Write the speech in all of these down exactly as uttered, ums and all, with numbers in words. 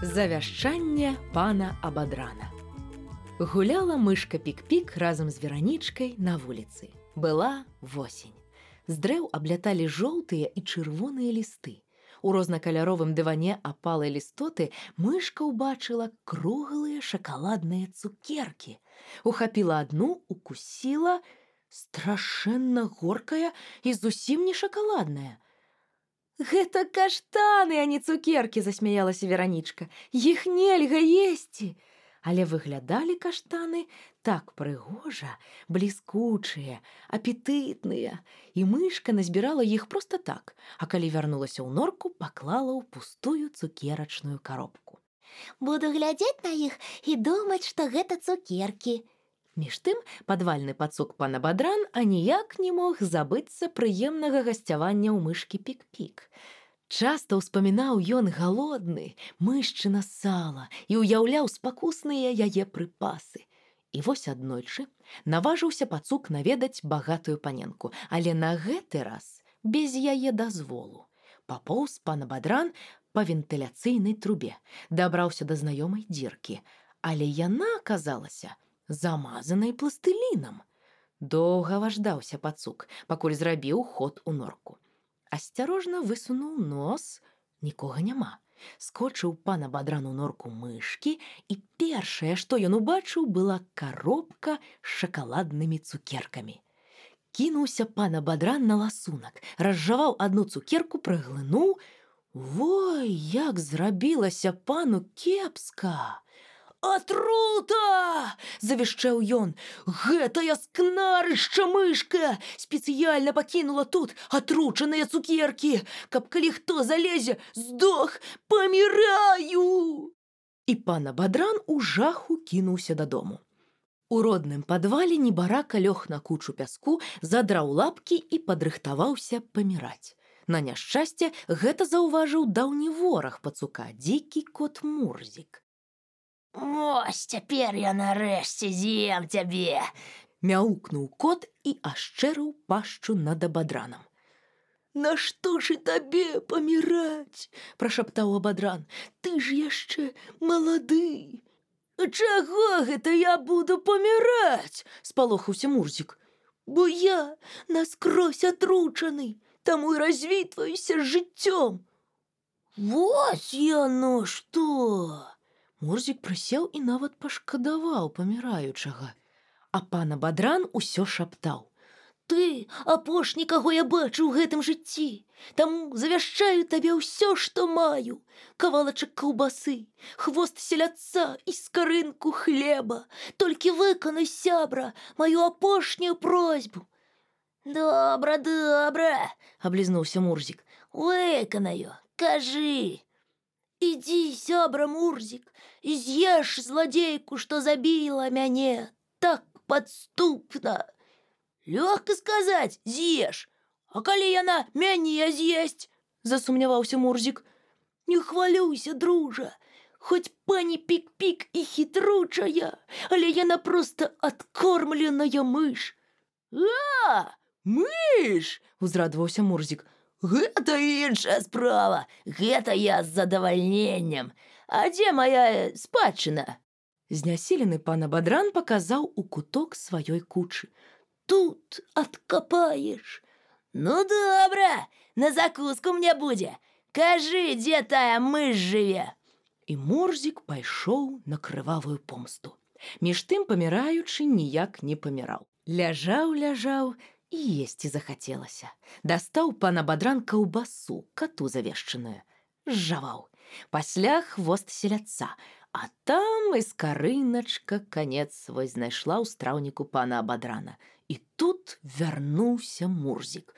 Завяшчанне пана Абадрана. Гуляла мышка Пік-Пік разам з Веранічкай на вуліцы. Была восень. З дрэў абляталі жоўтыя і чырвоныя лісты. У рознакаляровым дыване апалай лістоты мышка ўбачыла круглыя шакаладныя цукеркі. Ухапіла адну, укусіла, страшэнна горкая і зусім не шакаладная. «Гэта каштаны, а не цукеркі!» – засмяялася Веранічка. «Іх нельга есці!» Але выглядалі каштаны так прыгожа, бліскучыя, апетытныя, і мышка назбірала іх проста так, а калі вярнулася ў норку, паклала ў пустую цукерачную коробку. «Буду глядзець на іх і думаць, што гэта цукеркі!» Між тым падвальны пацук пан Абадран аніяк не мог забыцца прыемнага гасцявання ў мышкі Пік-Пік. Часта ўспамінаў ён галодны, мышчына сала і ўяўляў спакусныя яе прыпасы. І вось аднойчы наважыўся пацук наведаць багатую паненку, але на гэты раз без яе дазволу. Папоўз пан Абадран па вентыляцыйнай трубе, дабраўся да знаёмай дзіркі, але яна аказалася замазанай пластылінам. Доўга важдаўся пацук, пакуль зрабіў ход у норку. Асцярожна высунуў нос, нікога няма. Скочыў пан Абадран у норку мышкі, і першае, што ён убачыў, была коробка з шакаладнымі цукеркамі. Кінуўся пан Абадран на ласунак, разжаваў адну цукерку, праглынуў. Вой, як зрабілася пану кепска! «Атрута!» – завішчаў ён. «Гэтая скнарышча мышка спецыяльна пакінула тут атручаныя цукеркі, каб калі хто залезе, здох, паміраю!» І пан Абадран у жаху кінуўся дадому. У родным падвале небарака лёг на кучу пяску, задраў лапкі і падрыхтаваўся паміраць. На няшчасце гэта заўважыў даўні вораг пацука, дзікі кот Мурзік. «Вось цяпер я нарэшце з'ем цябе!» Мяукнуў кот і ашчэрыў пашчу над Абадранам. «Нашто ж і табе паміраць?» – прашаптаў Абадран. «Ты ж яшчэ малады!» «Чаго гэта я буду паміраць?» – спалохаўся Мурзік. «Бо я наскрозь атручаны, таму і развітваюся з жыццём!» «Вось яно што!» Мурзік прысеў і нават пашкадаваў паміраючага. А пан Абадран усё шаптаў. «Ты апошні, каго я бачу ў гэтым жыцці, таму завяшчаю табе ўсё, што маю. Кавалачак каўбасы, хвост селядца і скарынку хлеба. Толькі выканай, сябра, маю апошнюю просьбу». «Добра, добра», – аблізнуўся Мурзік. «Выканаю, кажы». «Ідзі, сябра Мурзік, і з'еш зладзейку, што забіла мяне, так падступна». «Лёгка сказаць, з'еш, а калі яна мяне з'есць?» – засумняваўся Мурзік. «Не хвалюйся, дружа, хоць пані Пік-Пік і хітручая, але яна проста адкормленая мыш». «А, мыш!» – узрадаваўся Мурзік. «Гэта іншая справа, гэта я з задавальненнем. А дзе моя спадчына?» Знясілены пан Абадран паказаў у куток сваёй кучы. «Тут адкапаеш». «Ну, добра, на закуску мне будзе. Кажы, дзе тая мыш жыве?» І Мурзік пайшоў на крывавую помсту. Між тым паміраючы ніяк не паміраў. Ляжаў, ляжаў, і есці захацелася. Дастаў пан Абадран каўбасу, кату завешчаную. Зжаваў. Пасля хвост селядца, а там і скарыначка канец свой знайшла ў страўніку пана Абадрана. І тут вярнуўся Мурзік.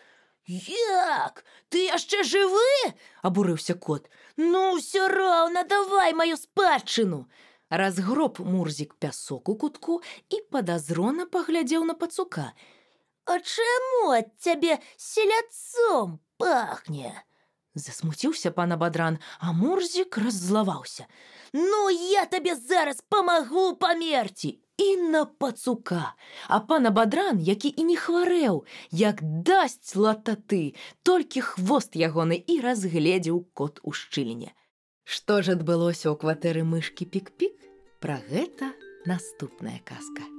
«Як? Ты яшчэ жывы?» – абурыўся кот. «Ну, ўсё роўна, давай маю спадчыну!» Разгроб Мурзік пясок у кутку і падазрона паглядзеў на пацука. «А чаму ад цябе селядцом пахне?» Засмуціўся пан Абадран, а Мурзік раззлаваўся. «Ну, я табе зараз памагу памерці!» І на пацука. А пан Абадран, які і не хварэў, як дасць лататы, толькі хвост ягоны і разгледзеў кот у шчыліне. Што ж адбылося ў кватэры мышкі Пік-Пік? Пра гэта наступная казка.